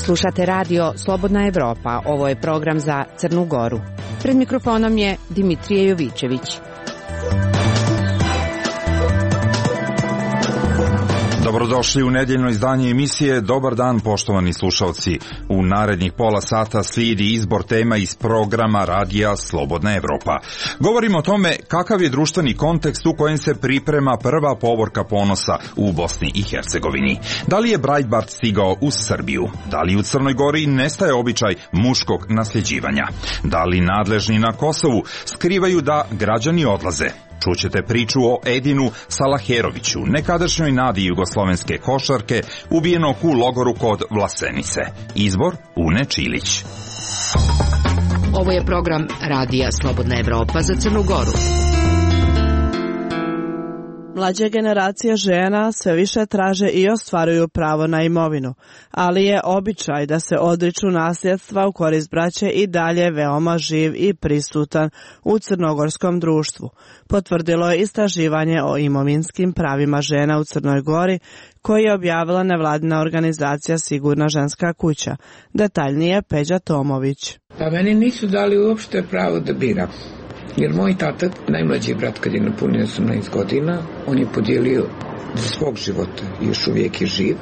Slušate radio Slobodna Evropa, ovo je program za Crnu Goru. Pred mikrofonom je Dimitrije Jovičević. Dobrodošli u nedeljno izdanje emisije. Dobar dan, poštovani slušalci. U narednih pola sata slijedi izbor tema iz programa radija Slobodna Evropa. Govorimo o tome kakav je društveni kontekst u kojem se priprema prva povorka ponosa u Bosni i Hercegovini. Da li je Breitbart stigao u Srbiju? Da li u Crnoj Gori nestaje običaj muškog nasljeđivanja? Da li nadležni na Kosovu skrivaju da građani odlaze? Čućete priču o Edinu Salaheroviću, nekadašnjoj nadi jugoslovenske košarke, ubijenog u logoru kod Vlasenice. Izbor Une Čilić. Ovo je program radija Slobodna Evropa za Crnu Goru. Mlađe generacije žena sve više traže i ostvaruju pravo na imovinu, ali je običaj da se odriču nasljedstva u korist braće i dalje veoma živ i prisutan u crnogorskom društvu, potvrdilo je istraživanje o imovinskim pravima žena u Crnoj Gori koje je objavila nevladina organizacija Sigurna ženska kuća. Detaljnije Peđa Tomović. Pa meni nisu dali uopšte pravo da biram. Jer moj tata, najmlađi brat, kad je napunio 18 godina, on je podijelio za svog života, još uvijek je živ,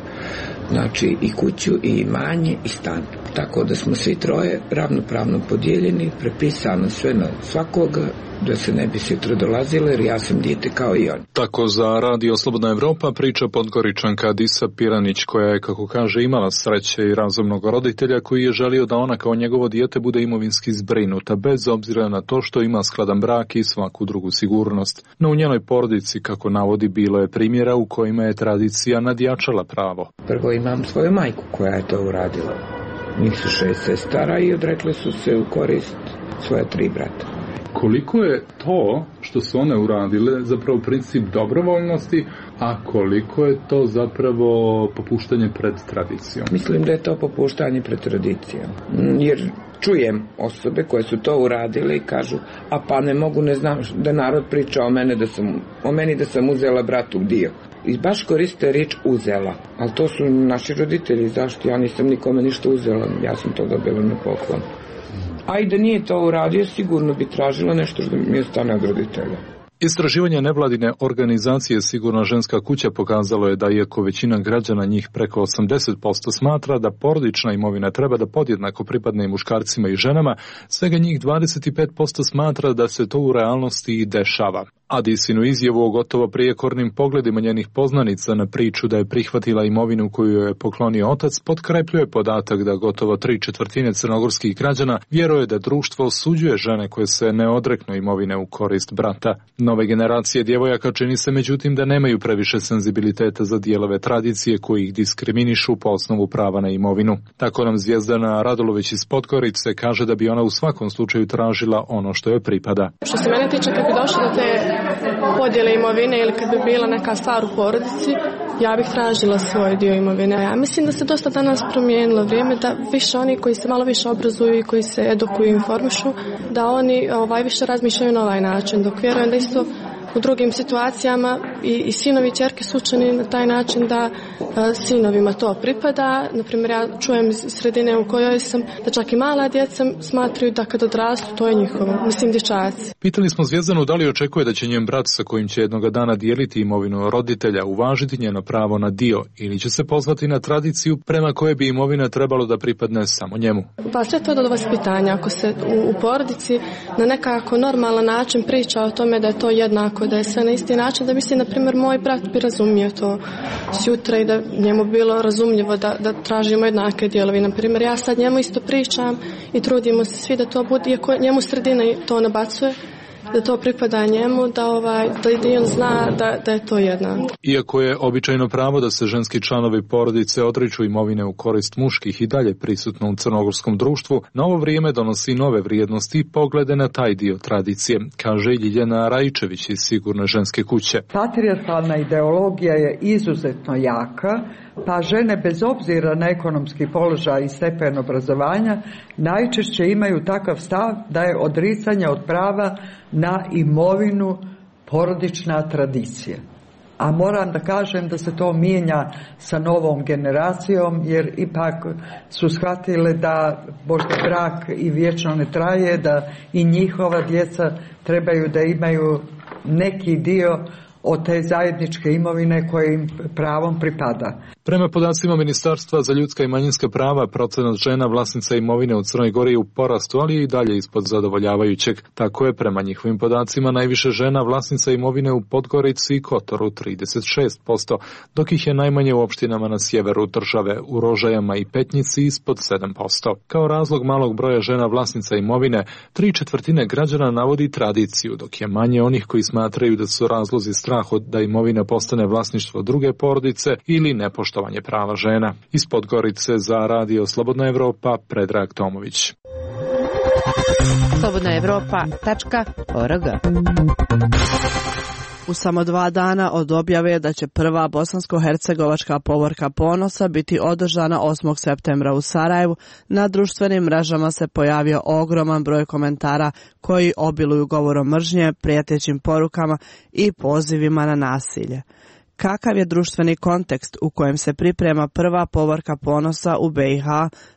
znači i kuću, i imanje, i stan. Tako da smo svi troje ravnopravno podijeljeni, prepisano sve na svakoga, da se ne bi sutra dolazilo, jer ja sam dijete kao i on. Tako za radio Slobodna Evropa priča Podgoričanka Disa Piranić, koja je, kako kaže, imala sreće i razumnog roditelja koji je želio da ona kao njegovo dijete bude imovinski zbrinuta, bez obzira na to što ima skladan brak i svaku drugu sigurnost. No u njenoj porodici, kako navodi, bilo je primjera u kojima je tradicija nadjačala pravo. Prvo imam svoju majku koja je to uradila. Njih su 6 sestara i odrekle su se u korist svoja 3 brata. Koliko je to što su one uradile zapravo princip dobrovoljnosti, a koliko je to zapravo popuštanje pred tradicijom? Mislim da je to popuštanje pred tradicijom. Jer čujem osobe koje su to uradile i kažu, a pa ne mogu, ne znam da narod priča o meni da sam uzela bratu dio. I baš koriste riječ uzela, ali to su naši roditelji, zašto? Ja nisam nikome ništa uzela, ja sam to dobila na poklon. A i da nije to uradio, sigurno bi tražila nešto što mi ostane od roditelja. Istraživanje nevladine organizacije Sigurna ženska kuća pokazalo je da iako većina građana, njih preko 80%, smatra da porodična imovina treba da podjednako pripadne i muškarcima i ženama, svega njih 25% smatra da se to u realnosti i dešava. A Disinu izjavu o gotovo prijekornim pogledima njenih poznanica na priču da je prihvatila imovinu koju je poklonio otac potkrepljuje podatak da gotovo 3/4 crnogorskih građana vjeruje da društvo osuđuje žene koje se ne odreknu imovine u korist brata. Nove generacije djevojaka čini se međutim da nemaju previše senzibiliteta za dijelove tradicije koji ih diskriminišu po osnovu prava na imovinu. Tako nam Zvijezdana Radulović iz Podgorice kaže da bi ona u svakom slučaju tražila ono što joj pripada. Što se mene tiče, kad bi došlo do te podjele imovine ili kad bi bila neka stvar u porodici, ja bih tražila svoj dio imovine. Ja mislim da se dosta danas promijenilo vrijeme, da više oni koji se malo više obrazuju i koji se edukuju i informišu, da oni više razmišljaju na ovaj način, dok vjerujem da isto u drugim situacijama i sinovi i ćerke su učeni na taj način da sinovima to pripada. Naprimjer, ja čujem iz sredine u kojoj sam da čak i mala djeca smatraju da kad odrastu to je njihovo, mislim dječaci. Pitali smo Zvijezdanu da li očekuje da će njen brat sa kojim će jednoga dana dijeliti imovinu roditelja uvažiti njeno pravo na dio ili će se pozvati na tradiciju prema koje bi imovina trebalo da pripadne samo njemu. Pa sve to do vaspitanja. Ako se u porodici na nekako normalan način priča o tome da je to jednako, da je sve na isti način, da mislim, na primjer, moj brat bi razumio to sutra i da njemu bilo razumljivo da tražimo jednake dijelovi. Na primjer, ja sad njemu isto pričam i trudimo se svi da to bude, iako njemu sredina to nabacuje, da to pripada njemu, da on zna da je to jednako. Iako je običajno pravo da se ženski članovi porodice odriču imovine u korist muških i dalje prisutno u crnogorskom društvu, novo vrijeme donosi nove vrijednosti i poglede na taj dio tradicije, kaže Ljiljana Rajčević iz Sigurne ženske kuće. Patrijarhalna ideologija je izuzetno jaka, pa žene bez obzira na ekonomski položaj i stepen obrazovanja najčešće imaju takav stav da je odricanje od prava na imovinu porodična tradicija. A moram da kažem da se to mijenja sa novom generacijom, jer ipak su shvatile da možda brak i vječno ne traje, da i njihova djeca trebaju da imaju neki dio od te zajedničke imovine koje im pravom pripada. Prema podacima Ministarstva za ljudska i manjinska prava, procenat žena vlasnica imovine u Crnoj Gori je u porastu, ali je i dalje ispod zadovoljavajućeg. Tako je, prema njihovim podacima, najviše žena vlasnica imovine u Podgorici i Kotoru 36%, dok ih je najmanje u opštinama na sjeveru države, u Rožajama i Petnici ispod 7%. Kao razlog malog broja žena vlasnica imovine, 3/4 građana navodi tradiciju, dok je manje onih koji smatraju da su razlozi strah da imovina postane vlasništvo druge porodice ili nepoštovanje prava žena. Iz Podgorice za Radio Slobodna Evropa, Predrag Tomović. slobodnaevropa.org. U samo 2 dana od objave da će prva bosansko-hercegovačka povorka ponosa biti održana 8. septembra u Sarajevu, na društvenim mrežama se pojavio ogroman broj komentara koji obiluju govorom mržnje, prijetećim porukama i pozivima na nasilje. Kakav je društveni kontekst u kojem se priprema prva povorka ponosa u BiH,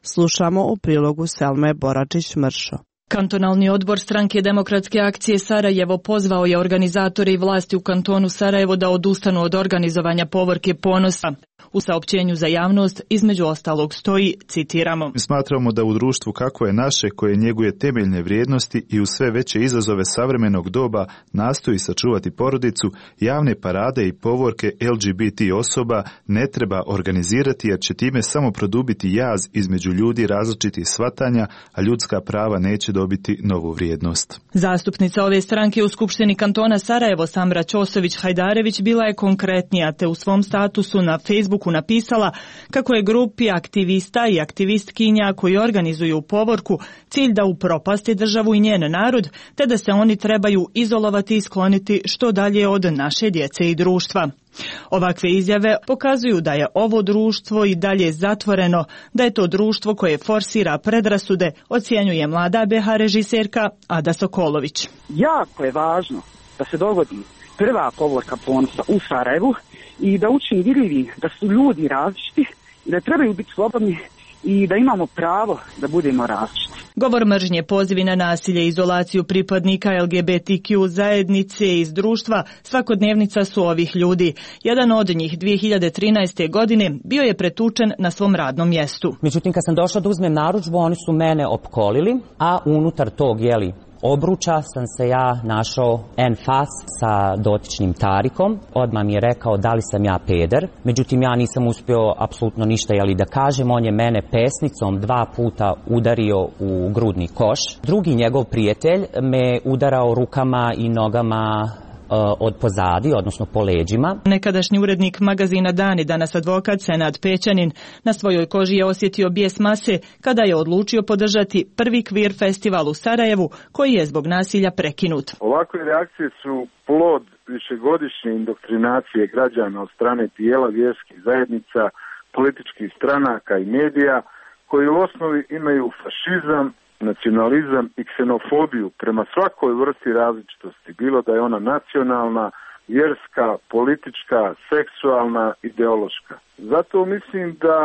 slušamo u prilogu Selme Boračić-Mršo. Kantonalni odbor Stranke demokratske akcije Sarajevo pozvao je organizatore i vlasti u kantonu Sarajevo da odustanu od organizovanja povorke ponosa. U saopćenju za javnost između ostalog stoji, citiramo: Mi smatramo da u društvu kako je naše, koje njeguje temeljne vrijednosti i u sve veće izazove savremenog doba nastoji sačuvati porodicu, javne parade i povorke LGBT osoba ne treba organizirati, jer će time samo produbiti jaz između ljudi različitih shvatanja, a ljudska prava neće dobiti novu vrijednost. Zastupnica ove stranke u Skupštini kantona Sarajevo, Samra Ćosović-Hajdarević, bila je konkretnija, te u svom statusu na Facebooku napisala kako je grupi aktivista i aktivistkinja koji organizuju povorku cilj da upropasti državu i njen narod, te da se oni trebaju izolovati i skloniti što dalje od naše djece i društva. Ovakve izjave pokazuju da je ovo društvo i dalje zatvoreno, da je to društvo koje forsira predrasude, ocjenjuje mlada BH režiserka Ada Sokolović. Jako je važno da se dogodi prva povorka ponosa u Sarajevu i da učini vidljivi da su ljudi različiti, da trebaju biti slobodni i da imamo pravo da budemo različiti. Govor mržnje, pozivi na nasilje i izolaciju pripadnika LGBTQ zajednice iz društva svakodnevnica su ovih ljudi. Jedan od njih 2013. godine bio je pretučen na svom radnom mjestu. Međutim, kad sam došla da uzmem narudžbu, oni su mene opkolili, a unutar tog, obruča sam se ja našao en fas sa dotičnim Tarikom. Odmah mi je rekao da li sam ja peder. Međutim, ja nisam uspio apsolutno ništa da kažem. On je mene pesnicom 2 puta udario u grudni koš. Drugi njegov prijatelj me udarao rukama i nogama od pozadi, odnosno po leđima. Nekadašnji urednik magazina Dan i danas advokat Senad Pećanin na svojoj koži je osjetio bijes mase kada je odlučio podržati prvi queer festival u Sarajevu, koji je zbog nasilja prekinut. Ovakve reakcije su plod višegodišnje indoktrinacije građana od strane tijela vjerskih zajednica, političkih stranaka i medija, koji u osnovi imaju fašizam, nacionalizam i ksenofobiju prema svakoj vrsti različitosti, bilo da je ona nacionalna, vjerska, politička, seksualna, ideološka. Zato mislim da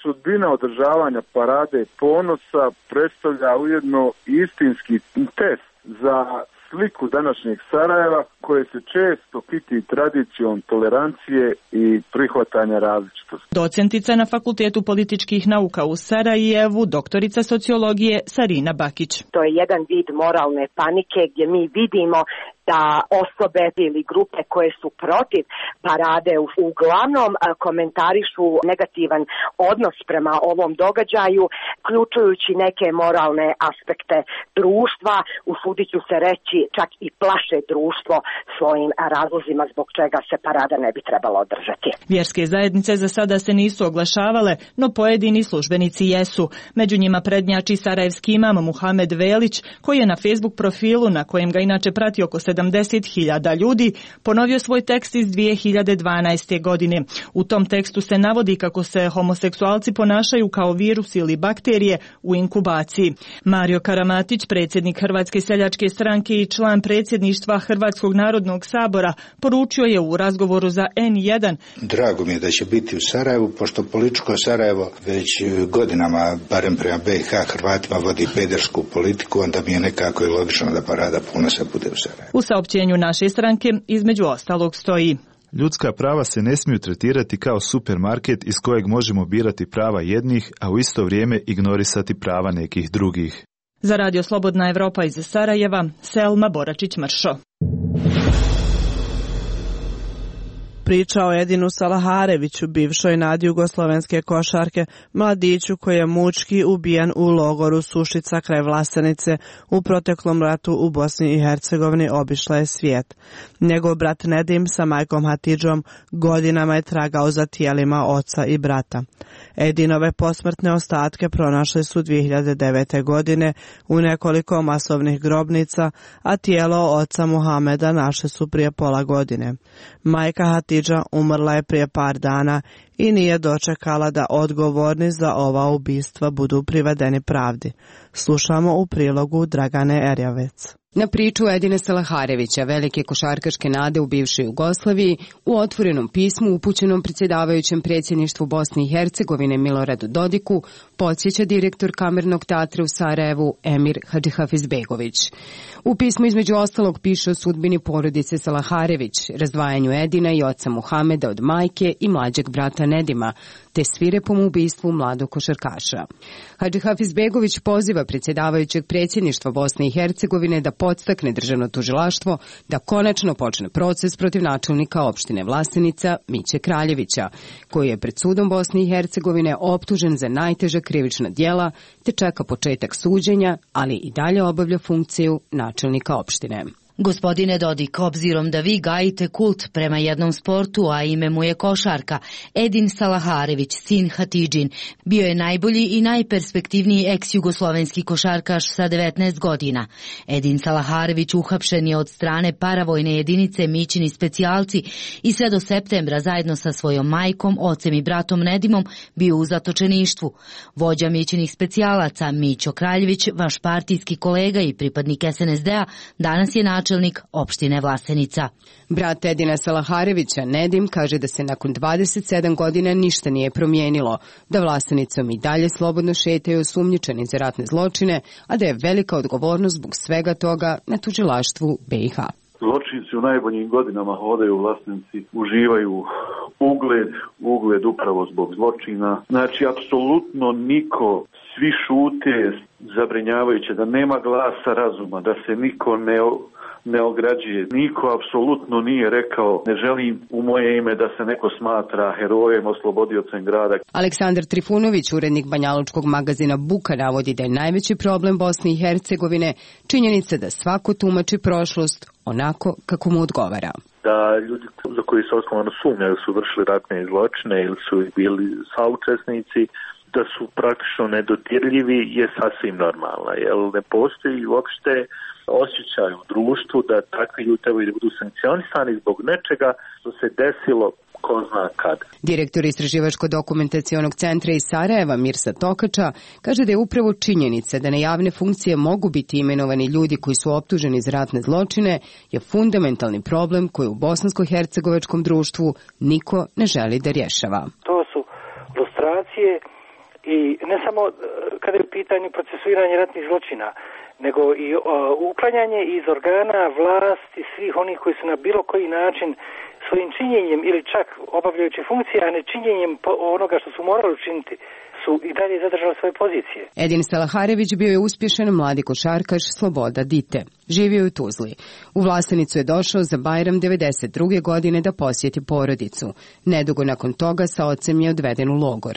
sudbina održavanja parade ponosa predstavlja ujedno istinski test za sliku današnjeg Sarajeva, koje se često kiti tradicijom tolerancije i prihvatanja različitosti. Docentica na Fakultetu političkih nauka u Sarajevu, doktorica sociologije Sarina Bakić. To je jedan vid moralne panike gdje mi vidimo da osobe ili grupe koje su protiv parade uglavnom komentarišu negativan odnos prema ovom događaju, uključujući neke moralne aspekte društva, usudit ću se reći čak i plaše društvo svojim razlozima zbog čega se parada ne bi trebala održati. Vjerske zajednice za sada se nisu oglašavale, no pojedini službenici jesu. Među njima prednjači sarajevski imam Muhamed Velić, koji je na Facebook profilu, na kojem ga inače prati oko 70.000 ljudi, ponovio svoj tekst iz 2012. godine. U tom tekstu se navodi kako se homoseksualci ponašaju kao virus ili bakterije u inkubaciji. Mario Karamatić, predsjednik Hrvatske seljačke seljačke stranke i član predsjedništva Hrvatskog narodnog sabora, poručio je u razgovoru za N1. Drago mi je da će biti u Sarajevu, pošto političko Sarajevo već godinama, barem prema BiH, Hrvatima vodi pedersku politiku, onda mi je nekako i logično da Parada ponosa bude u Sarajevu. U saopćenju naše stranke između ostalog stoji: ljudska prava se ne smiju tretirati kao supermarket iz kojeg možemo birati prava jednih, a u isto vrijeme ignorisati prava nekih drugih. Za Radio Slobodna Evropa iz Sarajeva, Selma Boračić-Mršo. Priča o Edinu Salahareviću, bivšoj nadi jugoslovenske košarke, mladiću koji je mučki ubijen u logoru Sušica kraj Vlasenice u proteklom ratu u Bosni i Hercegovini, obišla je svijet. Njegov brat Nedim sa majkom Hatidžom godinama je tragao za tijelima oca i brata. Edinove posmrtne ostatke pronašli su 2009. godine u nekoliko masovnih grobnica, a tijelo oca Muhameda našli su prije pola godine. Majka Hatidža umrla je prije par dana i nije dočekala da odgovorni za ova ubistva budu privedeni pravdi. Slušamo u prilogu Dragane Erjavec. Na priču Edina Salaharevića, velike košarkaške nade u bivšoj Jugoslaviji, u otvorenom pismu upućenom predsjedavajućem predsjedništvu Bosne i Hercegovine Miloradu Dodiku, podsjeća direktor Kamernog teatra u Sarajevu Emir Hadžihafizbegović. U pismu između ostalog piše o sudbini porodice Salaharević, razdvajanju Edina i oca Muhameda od majke i mlađeg brata Nedima, te svirepom ubistvu mladog košarkaša. Hadžihafizbegović poziva predsjedavajućeg predsjedništva Bosne i Hercegovine da podstakne državno tužilaštvo da konačno počne proces protiv načelnika opštine Vlasenica Miće Kraljevića, koji je pred sudom Bosne i Hercegovine optužen za najteža krivična djela te čeka početak suđenja, ali i dalje obavlja funkciju načelnika opštine. Gospodine Dodik, obzirom da vi gajite kult prema jednom sportu, a ime mu je košarka, Edin Salaharević, sin Hatidžin, bio je najbolji i najperspektivniji ex-jugoslovenski košarkaš sa 19 godina. Edin Salaharević uhapšen je od strane paravojne jedinice Mićini specijalci i sve do septembra zajedno sa svojom majkom, ocem i bratom Nedimom bio u zatočeništvu. Vođa Mićinih specijalaca Mićo Kraljević, vaš partijski kolega i pripadnik SNSD-a, danas je načelnik opštine Vlasenica. Brat Edina Salaharevića, Nedim, kaže da se nakon 27 godina ništa nije promijenilo, da Vlasenicom i dalje slobodno šetaju osumnjičeni za ratne zločine, a da je velika odgovornost zbog svega toga na tužilaštvu BiH. Zločinci u najboljim godinama hodaju u Vlasenici, uživaju ugled upravo zbog zločina. Znači, apsolutno niko, svi šute, zabrinjavajuće, da nema glasa razuma, da se niko ne ograđuje. Niko apsolutno nije rekao ne želim u moje ime da se neko smatra herojem, oslobodiocem grada. Aleksandar Trifunović, urednik banjalučkog magazina Buka, navodi da je najveći problem Bosne i Hercegovine činjenica da svako tumači prošlost onako kako mu odgovara. Da ljudi za koji se osnovano sumnjaju su vršili ratne zločine ili su bili saučesnici, da su praktično nedodirljivi je sasvim normalno, jer ne postoji uopšte osjećaj u društvu da takvi ljudi trebaju da budu sankcionisani zbog nečega što se desilo ko zna kad. Direktor Istraživačko-dokumentacionog centra iz Sarajeva Mirsa Tokača kaže da je upravo činjenica da na javne funkcije mogu biti imenovani ljudi koji su optuženi za ratne zločine je fundamentalni problem koji u bosansko-hercegovačkom društvu niko ne želi da rješava. To su lustracije i ne samo kada je u pitanju procesuiranje ratnih zločina, nego i uklanjanje iz organa vlasti svih onih koji su na bilo koji način svojim činjenjem ili čak obavljajući funkcije, a ne činjenjem onoga što su morali učiniti, su i dalje zadržali svoje pozicije. Edin Salaharević bio je uspješan mladi košarkaš Sloboda Dite. Živio je u Tuzli. U Vlasenicu je došao za Bajram 92. godine da posjeti porodicu. Nedugo nakon toga sa ocem je odveden u logor.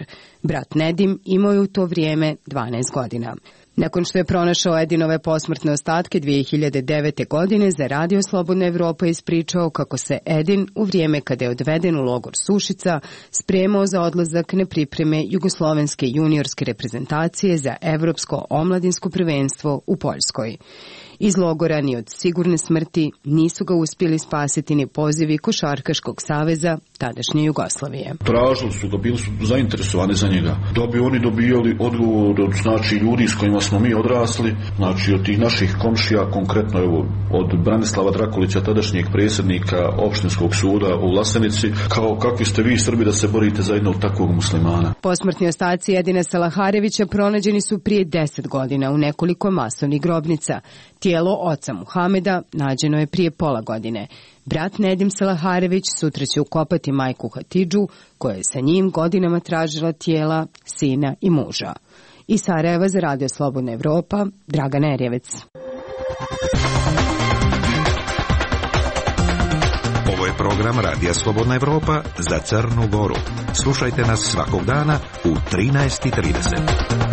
Brat Nedim imao je u to vrijeme 12 godina. Nakon što je pronašao Edinove posmrtne ostatke 2009. godine, za Radio Slobodna Evropa ispričao kako se Edin u vrijeme kada je odveden u logor Sušica spremao za odlazak na pripreme jugoslovenske juniorske reprezentacije za evropsko omladinsko prvenstvo u Poljskoj. Iz logora ni od sigurne smrti nisu ga uspjeli spasiti ni pozivi Košarkaškog saveza tadašnje Jugoslavije. Tražili su ga, bili su zainteresovani za njega. Da bi oni dobijali odgovor od ljudi s kojima smo mi odrasli, od tih naših komšija, konkretno od Branislava Drakulića, tadašnjeg predsjednika opštinskog suda u Vlasenici, kao kakvi ste vi Srbi da se borite za jednog takvog muslimana. Posmrtni ostaci Edina Salaharevića pronađeni su prije 10 godina u nekoliko masovnih grobnica. Tijelo oca Muhameda nađeno je prije pola godine. Brat Nedim Salaharević sutra će ukopati majku Hatidžu, koja je sa njim godinama tražila tijela sina i muža. Iz Sarajeva za Radio Slobodna Evropa, Dragana Erjevec. Ovo je program Radija Slobodna Evropa za Crnu Goru. Slušajte nas svakog dana u 13:30.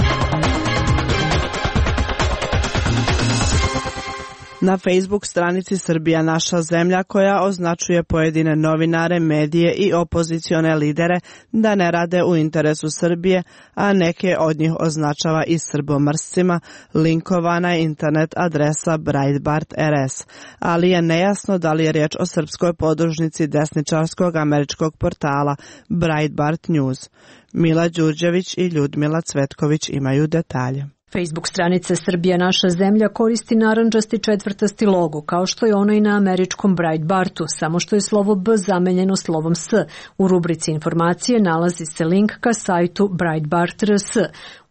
Na Facebook stranici Srbija naša zemlja, koja označuje pojedine novinare, medije i opozicione lidere da ne rade u interesu Srbije, a neke od njih označava i srbomrscima, linkovana je internet adresa Breitbart RS, ali je nejasno da li je riječ o srpskoj podružnici desničarskog američkog portala Breitbart News. Mila Đurđević i Ljudmila Cvetković imaju detalje. Facebook stranica Srbija naša zemlja koristi narandžasti četvrtasti logo, kao što je ono i na američkom Breitbartu, samo što je slovo B zamenjeno slovom S. U rubrici informacije nalazi se link ka sajtu Breitbart RS.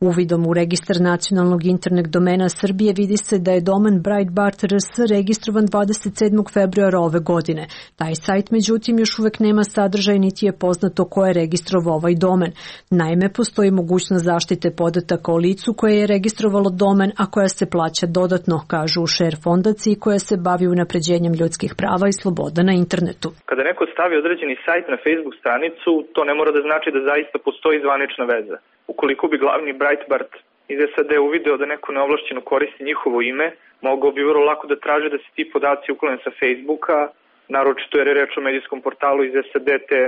Uvidom u registar nacionalnog internet domena Srbije vidi se da je domen Breitbart RS registrovan 27. februara ove godine. Taj sajt, međutim, još uvek nema sadržaj niti je poznato ko je registrovao ovaj domen. Naime, postoji mogućnost zaštite podataka o licu koje je registrovalo domen, a koja se plaća dodatno, kažu u Share fondaciji koja se bavi unapređenjem ljudskih prava i sloboda na internetu. Kada neko stavi određeni sajt na Facebook stranicu, to ne mora da znači da zaista postoji zvanična veza. Ukoliko bi glavni Breitbart iz SAD uvideo da neko neovlašćeno koristi njihovo ime, mogao bi vrlo lako da traže da se ti podaci uklone sa Facebooka, naročito jer je reč o medijskom portalu iz SAD, te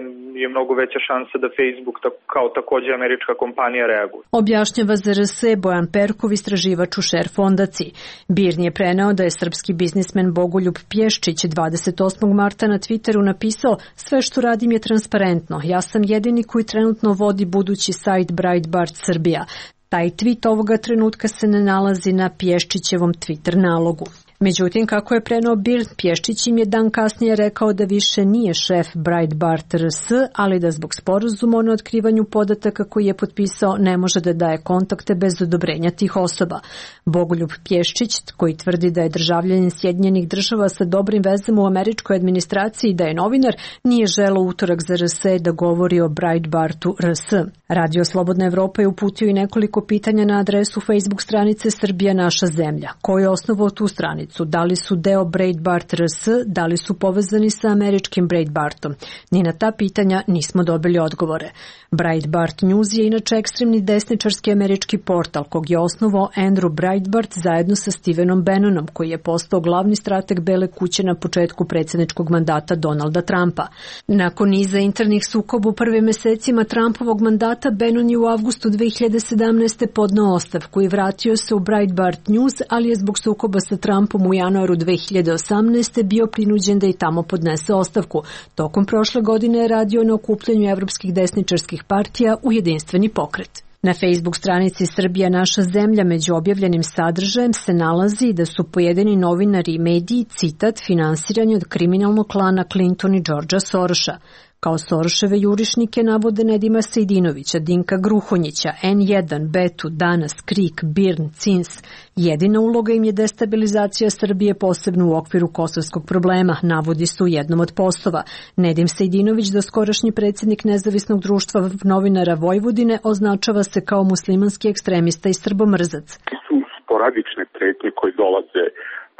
je mnogo veća šansa da Facebook kao također američka kompanija reaguje. Objašnjava za RS Bojan Perkov, istraživač u Share fondaciji. BIRN je preneo da je srpski biznismen Bogoljub Pješčić 28. marta na Twitteru napisao: "Sve što radim je transparentno. Ja sam jedini koji trenutno vodi budući sajt Breitbart Srbija." Taj tweet ovoga trenutka se ne nalazi na Pješčićevom Twitter nalogu. Međutim, kako je preneo BIRN, Pješčić im je dan kasnije rekao da više nije šef Breitbart RS, ali da zbog sporazuma o neotkrivanju podataka koji je potpisao ne može da daje kontakte bez odobrenja tih osoba. Bogoljub Pješčić, koji tvrdi da je državljanin Sjedinjenih Država sa dobrim vezama u američkoj administraciji i da je novinar, nije želeo utorak za RS da govori o Breitbartu RS. Radio Slobodna Evropa je uputio i nekoliko pitanja na adresu Facebook stranice Srbija naša zemlja. Ko je osnovao tu stranicu? Da li su deo Breitbart RS, da li su povezani sa američkim Breitbartom? Ni na ta pitanja nismo dobili odgovore. Breitbart News je inače ekstremni desničarski američki portal kog je osnovao Andrew Breitbart zajedno sa Stevenom Bannonom, koji je postao glavni strateg Bele kuće na početku predsjedničkog mandata Donalda Trumpa. Nakon niza internih sukoba u prvim mesecima Trumpovog mandata, Bannon je u avgustu 2017. podneo ostavku i vratio se u Breitbart News, ali je zbog sukoba sa Trumpom u januaru 2018. bio prinuđen da i tamo podnese ostavku. Tokom prošle godine je radio na okupljanju evropskih desničarskih partija u jedinstveni pokret. Na Facebook stranici Srbija naša zemlja među objavljenim sadržajem se nalazi da su pojedini novinari i mediji, citat, finansirani od kriminalnog klana Clinton i Georgea Soroša. Kao Soroševe jurišnike navode Nedima Sejdinovića, Dinka Gruhonjića, N1, Betu, Danas, Krik, BIRN, CINS. Jedina uloga im je destabilizacija Srbije, posebno u okviru kosovskog problema, navodi su u jednom od postova. Nedim Sejdinović, doskorašnji predsjednik Nezavisnog društva novinara Vojvodine, označava se kao muslimanski ekstremista i srbomrzac. Su sporadične pretnje koje dolaze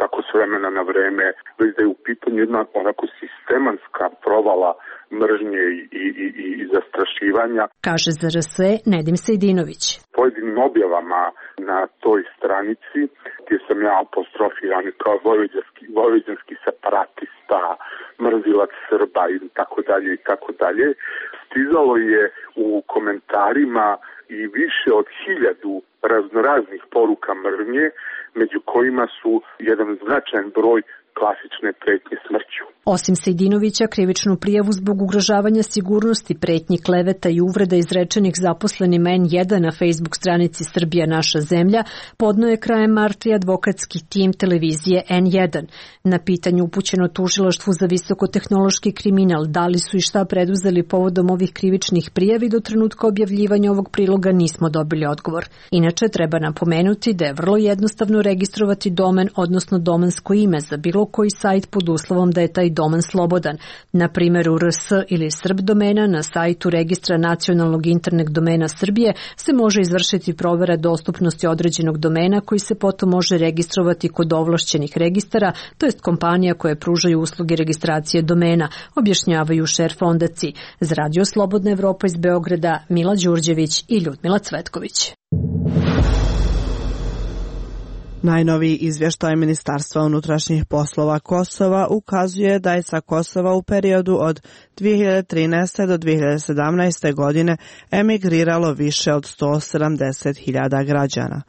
tako s vremena na vreme, već da je u pitanju jedna onako sistemanska provala mržnje i zastrašivanja. Kaže za RS Nedim Sejdinović. Pojedinim objavama na toj stranici, gdje sam ja apostrofiran kao vojvođanski separatista, mrzilac Srba i tako dalje, stizalo je u komentarima i više od 1000 raznoraznih poruka mržnje, među kojima su jedan značajan broj klasične pretnje smrću. Osim Sejdinovića, krivičnu prijavu zbog ugrožavanja sigurnosti, pretnji, kleveta i uvreda izrečenih zaposlenima N1 na Facebook stranici Srbija naša zemlja podneo je krajem marta i advokatski tim televizije N1. Na pitanju upućeno tužilaštvu za visokotehnološki kriminal da li su i šta preduzeli povodom ovih krivičnih prijavi, do trenutka objavljivanja ovog priloga nismo dobili odgovor. Inače, treba napomenuti da je vrlo jednostavno registrovati domen, odnosno domensko ime za bilo koji sajt pod uslovom da je taj domen slobodan. Na primjeru RS ili Srb domena na sajtu Registra nacionalnog internet domena Srbije se može izvršiti provera dostupnosti određenog domena koji se potom može registrovati kod ovlašćenih registara, to jest kompanija koje pružaju usluge registracije domena, objašnjavaju Šer Fondaci. Za Radio Slobodna Evropa iz Beograda, Mila Đurđević i Ljudmila Cvetković. Najnoviji izvještaj Ministarstva unutrašnjih poslova Kosova ukazuje da je sa Kosova u periodu od 2013. do 2017. godine emigriralo više od 170.000 građana.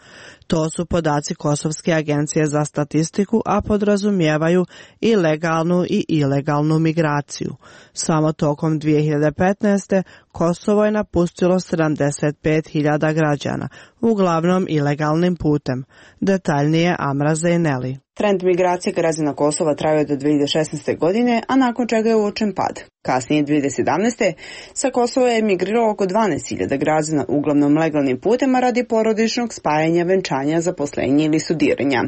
To su podaci Kosovske agencije za statistiku, a podrazumijevaju i legalnu i ilegalnu migraciju. Samo tokom 2015. Kosovo je napustilo 75.000 građana, uglavnom ilegalnim putem. Detaljnije Amra Zejneli. Trend migracije građana Kosova trajao do 2016. godine, a nakon čega je uočen pad. Kasnije 2017. sa Kosova je emigriralo oko 12.000 građana, uglavnom legalnim putem, radi porodičnog spajanja, venčanja, zaposlenja ili studiranja.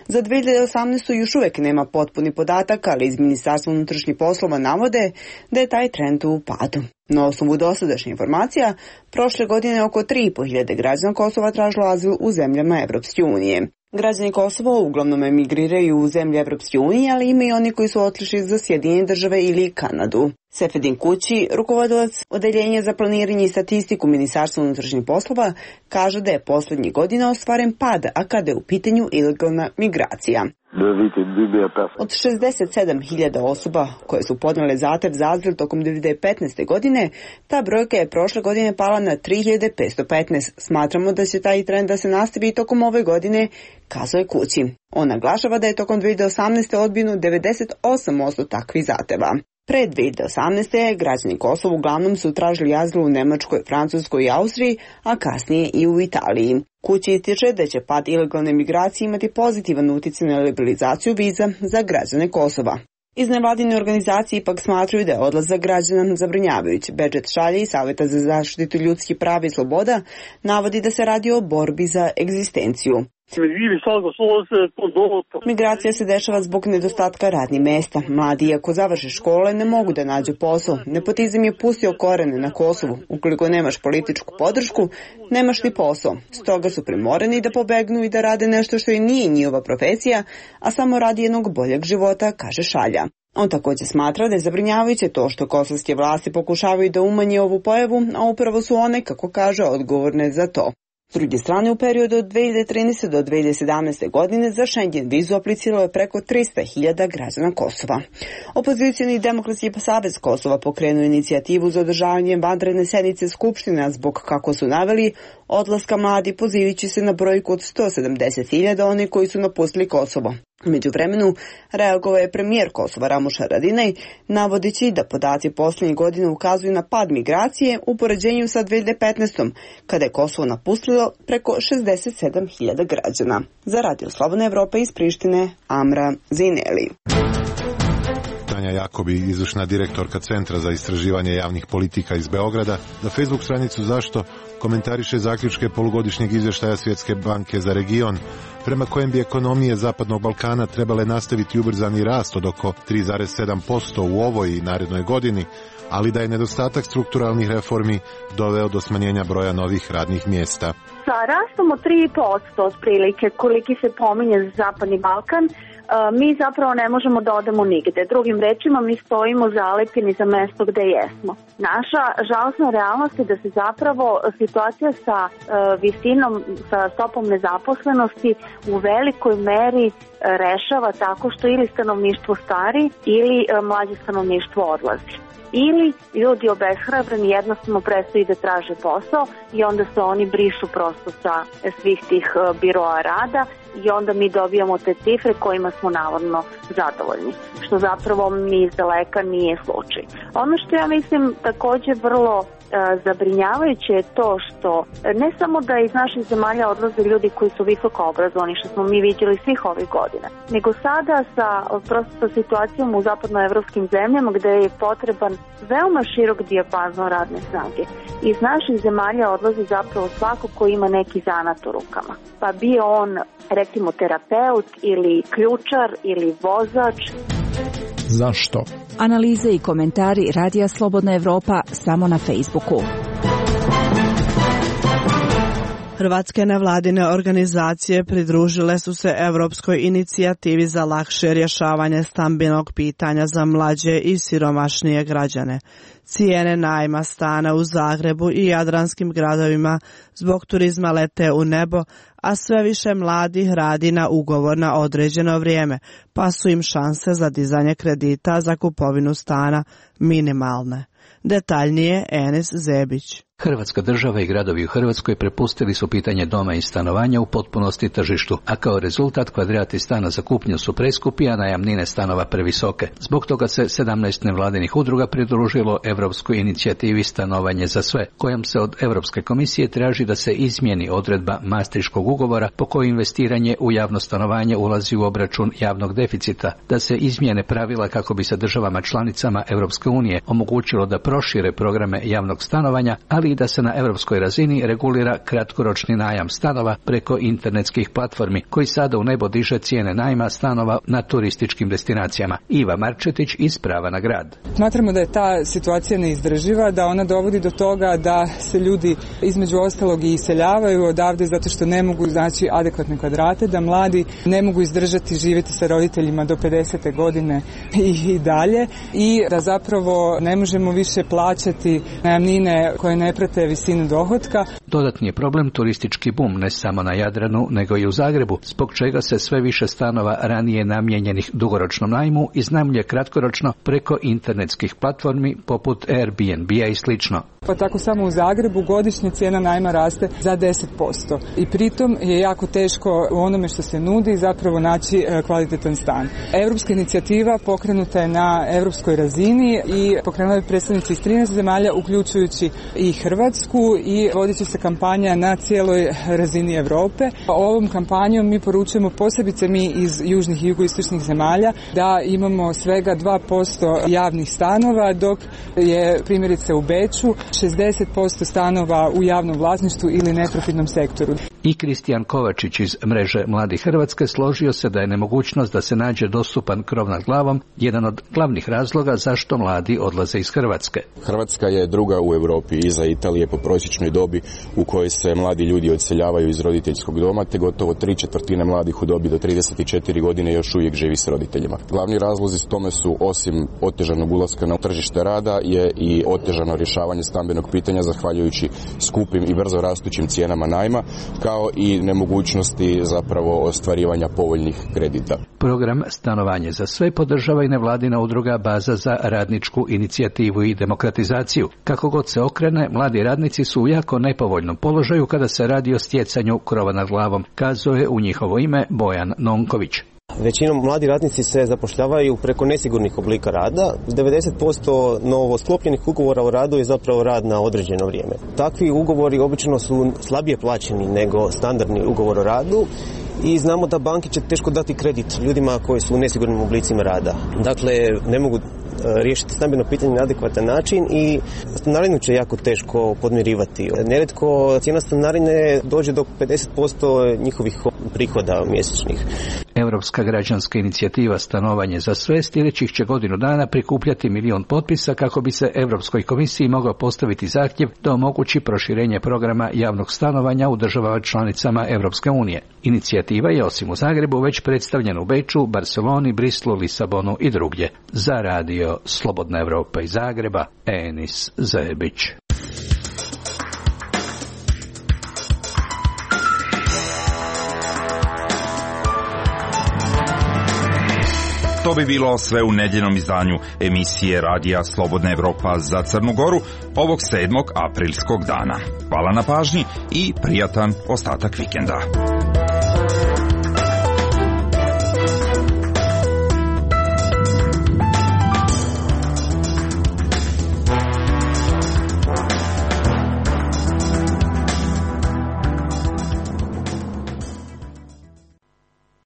Za 2018. još uvijek nema potpuni podatak, ali iz Ministarstva unutrašnjih poslova navode da je taj trend u padu. Na osnovu dosadašnjih informacija, prošle godine oko 3.500 građana Kosova tražilo azil u zemljama Evropske unije. Građani Kosova uglavnom emigriraju u zemlje Evropske unije, ali ima i oni koji su otišli za Sjedinjene Države ili Kanadu. Sefedin Kući, rukovodilac Odeljenja za planiranje i statistiku Ministarstva unutrašnjih poslova, kaže da je posljednjih godina ostvaren pad, a kada je u pitanju ilegalna migracija. Od 67.000 osoba koje su podnele zahtev za azil tokom 2015. godine, ta brojka je prošle godine pala na 3.515. Smatramo da će taj trend da se nastavi tokom ove godine, kazuje Kući. On naglašava da je tokom 2018. odbijeno 98% takvih zahteva. Pre 2018. građani Kosova uglavnom su tražili azil u Nemačkoj, Francuskoj i Austriji, a kasnije i u Italiji. Kući ističe da će pad ilegalne migracije imati pozitivan utjecaj na liberalizaciju viza za građane Kosova. Iz nevladine organizacije ipak smatruju da je odlazak građana zabrinjavajući. Bedžet Šalje i Savjeta za zaštitu ljudskih prava i sloboda navodi da se radi o borbi za egzistenciju. Migracija se dešava zbog nedostatka radnih mesta. Mladi, iako završe škole, ne mogu da nađu posao. Nepotizam je pustio korene na Kosovu. Ukoliko nemaš političku podršku, nemaš ni posao. Stoga su primorani da pobegnu i da rade nešto što i nije njihova profesija, a samo radi jednog boljeg života, kaže Šalja. On također smatra da je zabrinjavajuće to što kosovske vlasti pokušavaju da umanje ovu pojavu, a upravo su one, kako kaže, odgovorne za to. S druge strane, u periodu od 2013. do 2017. godine za Schengen vizu apliciralo je preko 300.000 građana Kosova. Opozicijni Demokratski savez Kosova pokrenuo inicijativu za održavanje vanredne sednice Skupštine zbog, kako su naveli, odlaska mladi, pozivajući se na brojku od 170.000 oni koji su napustili Kosovo. U međuvremenu reagovao je premijer Kosova Ramuš Haradinaj, navodeći da podaci posljednjih godina ukazuju na pad migracije u poređenju sa 2015. kada je Kosovo napustilo preko 67.000 građana. Za Radio Slobodna Evropa iz Prištine, Amra Zineli. Tanja Jakobi, izvršna direktorka Centra za istraživanje javnih politika iz Beograda, na Facebook stranicu Zašto komentariše zaključke polugodišnjeg izvještaja Svjetske banke za region, prema kojem bi ekonomije Zapadnog Balkana trebale nastaviti ubrzani rast od oko 3,7% u ovoj i narednoj godini, ali da je nedostatak strukturalnih reformi doveo do smanjenja broja novih radnih mjesta. Sa Sa rastom od 3,5% otprilike, koliki se pominje za Zapadni Balkan, mi zapravo ne možemo da odemo nigde. Drugim rečima, mi stojimo zalepljeni za mesto gde jesmo. Naša žalosna realnost je da se zapravo situacija sa visinom, sa stopom nezaposlenosti u velikoj meri rešava tako što ili stanovništvo stari ili mlađe stanovništvo odlazi. Ili ljudi obeshrabreni jednostavno prestaju da traže posao i onda se oni brišu prosto sa svih tih biroa rada i onda mi dobijamo te cifre kojima smo navodno zadovoljni, što zapravo ni iz daleka nije slučaj. Ono što ja mislim takođe vrlo zabrinjavajuće je to što ne samo da iz naših zemalja odlaze ljudi koji su visoko obrazovani, što smo mi vidjeli svih ovih godina, nego sada sa situacijom u zapadnoevropskim zemljama gde je potreban veoma širok dijapazon radne snage. Iz naših zemalja odlazi zapravo svako ko ima neki zanat u rukama. Pa bio on, recimo, terapeut ili ključar ili vozač. Zašto? Analize i komentari Radija Slobodna Evropa samo na Facebooku. Hrvatske nevladine organizacije pridružile su se Evropskoj inicijativi za lakše rješavanje stambenog pitanja za mlađe i siromašnije građane. Cijene najma stana u Zagrebu i jadranskim gradovima zbog turizma lete u nebo, a sve više mladih radi na ugovor na određeno vrijeme, pa su im šanse za dizanje kredita za kupovinu stana minimalne. Detaljnije Enis Zebić. Hrvatska država i gradovi u Hrvatskoj prepustili su pitanje doma i stanovanja u potpunosti tržištu, a kao rezultat kvadrati stana za kupnju su preskupi, a najamnine stanova previsoke. Zbog toga se 17 nevladinih udruga pridružilo Europskoj inicijativi Stanovanje za sve, kojom se od Europske komisije traži da se izmijeni odredba Maastrichtskog ugovora po kojoj investiranje u javno stanovanje ulazi u obračun javnog deficita, da se izmijene pravila kako bi se državama članicama Europske unije omogućilo da prošire programe javnog stanovanja, ali i da se na europskoj razini regulira kratkoročni najam stanova preko internetskih platformi, koji sada u nebo diže cijene najma stanova na turističkim destinacijama. Iva Marčetić iz Prava na grad. Smatramo da je ta situacija neizdrživa, da ona dovodi do toga da se ljudi između ostalog i iseljavaju odavde zato što ne mogu naći adekvatne kvadrate, da mladi ne mogu izdržati živjeti sa roditeljima do 50. godine i dalje, i da zapravo ne možemo više plaćati najamnine koje ne prate visinu dohotka. Dodatni je problem turistički bum ne samo na Jadranu nego i u Zagrebu, zbog čega se sve više stanova ranije namijenjenih dugoročnom najmu iznajmljuje kratkoročno preko internetskih platformi poput Airbnb-a i slično. Pa tako samo u Zagrebu godišnja cijena najma raste za 10%. I pritom je jako teško u onome što se nudi zapravo naći kvalitetan stan. Europska inicijativa pokrenuta je na europskoj razini i pokrenula je predstavnici iz 13 zemalja, uključujući i Hrvatsku, i vodit će se kampanja na cijeloj razini Europe. Ovom kampanjom mi poručujemo, posebice mi iz južnih i jugoistočnih zemalja, da imamo svega 2% javnih stanova, dok je primjerice u Beču 60% stanova u javnom vlasništvu ili neprofitnom sektoru. I Kristijan Kovačić iz mreže Mladih Hrvatske složio se da je nemogućnost da se nađe dostupan krov nad glavom jedan od glavnih razloga zašto mladi odlaze iz Hrvatske. Hrvatska je druga u Europi iza Italije po prosječnoj dobi u kojoj se mladi ljudi odseljavaju iz roditeljskog doma, te gotovo 3/4 mladih u dobi do 34 godine još uvijek živi s roditeljima. Glavni razlozi tome su, osim otežanog ulaska na tržište rada, je i otežano rješavanje stambenog pitanja zahvaljujući skupim i brzo rastućim cijenama najma, kao i nemogućnosti zapravo ostvarivanja povoljnih kredita. Program Stanovanje za sve podržava i nevladina udruga Baza za radničku inicijativu i demokratizaciju. Kako god se okrene, mladi radnici su u jako nepovoljnom položaju kada se radi o stjecanju krova nad glavom, kazuje u njihovo ime Bojan Nonković. Većinom mladi radnici se zapošljavaju preko nesigurnih oblika rada. 90% novo sklopljenih ugovora o radu je zapravo rad na određeno vrijeme. Takvi ugovori obično su slabije plaćeni nego standardni ugovor o radu i znamo da banke će teško dati kredit ljudima koji su u nesigurnim oblicima rada. Dakle, ne mogu riješiti stambeno pitanje na adekvatan način i stanarinu će jako teško podmirivati. Neretko cijena stanarine dođe do 50% njihovih prihoda mjesečnih. Europska građanska inicijativa Stanovanje za sve sljedećih će godinu dana prikupljati 1 milion potpisa kako bi se Europskoj komisiji mogao postaviti zahtjev da omogući proširenje programa javnog stanovanja u državama članicama Europske unije. Inicijativa je osim u Zagrebu već predstavljena u Beču, Barceloni, Brislu, Lisabonu i drugdje. Za radio Slobodna Evropa iz Zagreba, Enis Zebić. To bi bilo sve u nedjeljnom izdanju emisije Radija Slobodna Evropa za Crnu Goru ovog 7. aprilskog dana. Hvala na pažnji i prijatan ostatak vikenda.